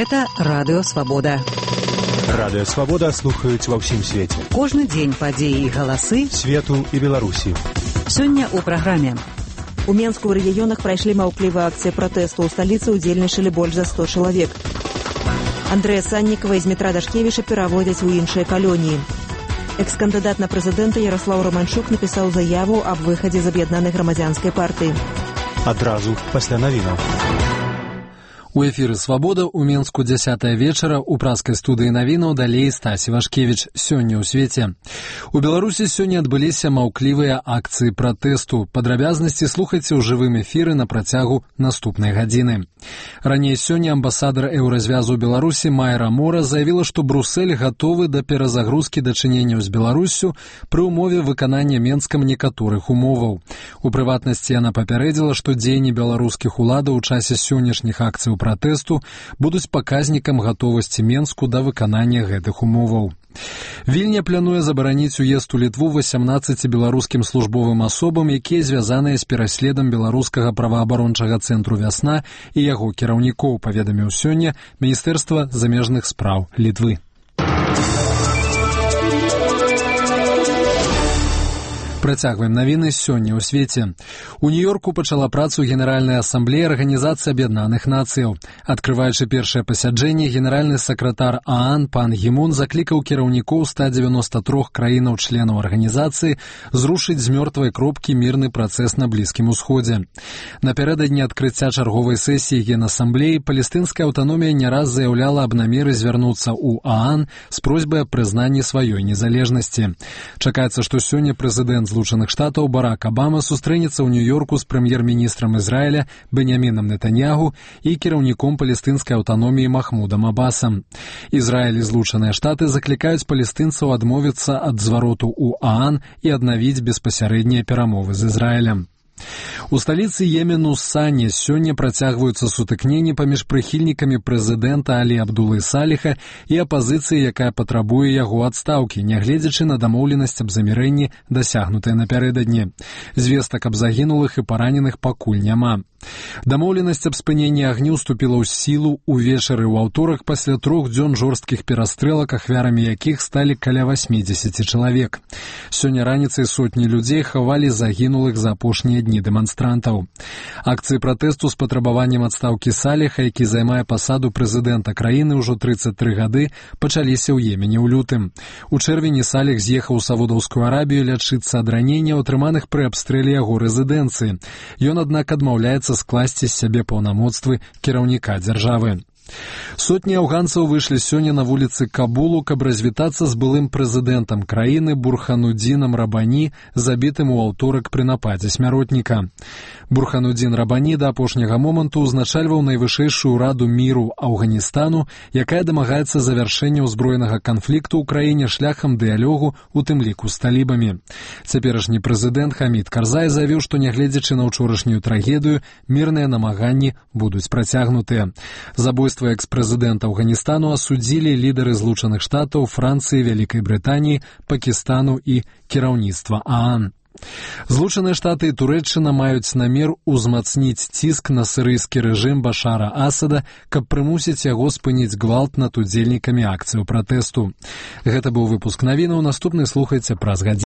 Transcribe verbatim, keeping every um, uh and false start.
Гэта Радыё Свабода. Радыё Свабода слухаюць ва ўсім свеце. Кожны дзень падзеі і галасы свету і Беларусі. Сёння ў праграме. У Менску ў рэгіёнах прайшлі маўклівыя акцыі пратэсту. У сталіцы ўдзельнічалі больш за сто чалавек. Андрэя Саннікава і Змітра Дашкевіча пераводзяць у іншыя калоніі. Экс-кандыдат на прэзідэнта Ярослаў Романчук напісаў заяву аб выхадзе з аб'яднанай грамадзянскай партыі. Адразу пасля навінаў. У эфіры «Свабода» у Менску дзясятая вечара у праскай студыі навінаў далей Стасі Вашкевіч. Сёння ў свеце. У Беларусі сёння адбыліся маўклівыя акцыі пратэсту. Падрабязнасці слухайце ў жывым эфіры на працягу наступнай гадзіны. Раней сёння амбасадар еўразвязу ў Беларусі Майра Мора заявіла, што Брусель гатовы да перазагрузкі дачыненняў з Беларуссю пры ўмове выканання Менскам некаторых умоваў. У прыватнасці яна папярэдзіла, што дзеянні беларускіх уладаў у часе сённяшніх акцый пратэсту будуць паказнікам гатовасці Менску да выканання гэтых умоваў. Вільня плануе забараніць уезд у Літву васямнаццаці беларускім службовым асобам, якія звязаныя з пераследам беларускага праваабарончага цэнтру «Вясна» і яго кіраўнікоў, паведаміў сёння Міністэрства замежных спраў Літвы. Працягваем навіны сёння ў свеце. У Нью-Йорку пачала працу Генеральная асамблея Арганізацыі Аб'яднаных Нацыяў. Адкрываючы першае пасяджэнне, генеральны сакратар ААН пан Гімун заклікаў кіраўнікоў ста дзевяноста трох краінаў-членаў арганізацыі зрушыць з мёртвай кропкі мірны працэс на Блізкім Усходзе. Напярэдадні адкрыцця чарговай сесіі Генасамблеі палестынская аўтаномія не раз заяўляла аб намеры звярнуцца ў ААН з просьбай аб прызнанні сваёй незалежнасці. Чакаецца, што сёння прэзідэнт Злучаных Штатаў Барак Абама сустрэнецца ў Нью-Йорку з прэм'ер-міністрам Ізраіля Беньямінам Нетаньягу і кіраўніком палестынскай аўтаноміі Махмудам Абасам. Ізраіль і Злучаныя Штаты заклікаюць палестынцаў адмовіцца ад звароту ў ААН і аднавіць беспасярэднія перамовы з Ізраілем. У сталіцы Йемену Сані сёння працягваюцца сутыкненні паміж прыхільнікамі прэзідэнта Алі Абдулы Саліха і апазіцыі, якая патрабуе яго адстаўкі, нягледзячы на дамоўленасць аб замірэнні, дасягнутае напярэдадні. Звестак аб загінулых і параненых пакуль няма. Дамоўленасць аб спыненні агню ўступіла ў сілу ўвечары ў аўторак пасля трох дзён жорсткіх перастрэлак, ахвярамі якіх сталі каля васьмідзесяці чалавек. Сёння раніцай сотні людзей хавалі загінулых за апошнія дні дэманстрантаў. Акцыі пратэсту з патрабаваннем адстаўкі Саліха, які займае пасаду прэзідэнта краіны ўжо трыццаць тры гады, пачаліся ў Йемене ў лютым. У чэрвені Саліх з'ехаў у Саудаўскую Арабію лячыцца ад раненняў, атрыманых пры абстрэле яго рэзідэнцыі. Ён, аднак, адмаўляецца скласці з сябе паўнамоцтвы кіраўніка дзяржавы. Сотні афганцаў выйшлі сёння на вуліцы Кабулу, каб развітацца з былым прэзідэнтам краіны Бурханудзінам Рабані, забітым у аўторак пры нападзе смяротніка. Бурханудзін Рабані да апошняга моманту ўзначальваў найвышэйшую раду міру Афганістану, якая дамагаецца завяршэння ўзброенага канфлікту ў краіне шляхам дыялогу, у тым ліку з талібамі. Цяперашні прэзідэнт Хамід Карзай заявіў, што нягледзячы на ўчорашнюю трагедыю, мірныя намаганні будуць працягнутыя. Забойства экс-прэзідэнта Афганістану асудзілі лідары Злучаных Штатаў, Францыі, Вялікай Брытаніі, Пакістану і кіраўніцтва ААН. Злучаныя Штаты і Турэччына маюць намер узмацніць ціск на сірыйскі рэжым Башара Асада, каб прымусіць яго спыніць гвалт над удзельнікамі акцыяў пратэсту. Гэта быў выпуск навінаў, наступны слухайце праз гадзіну.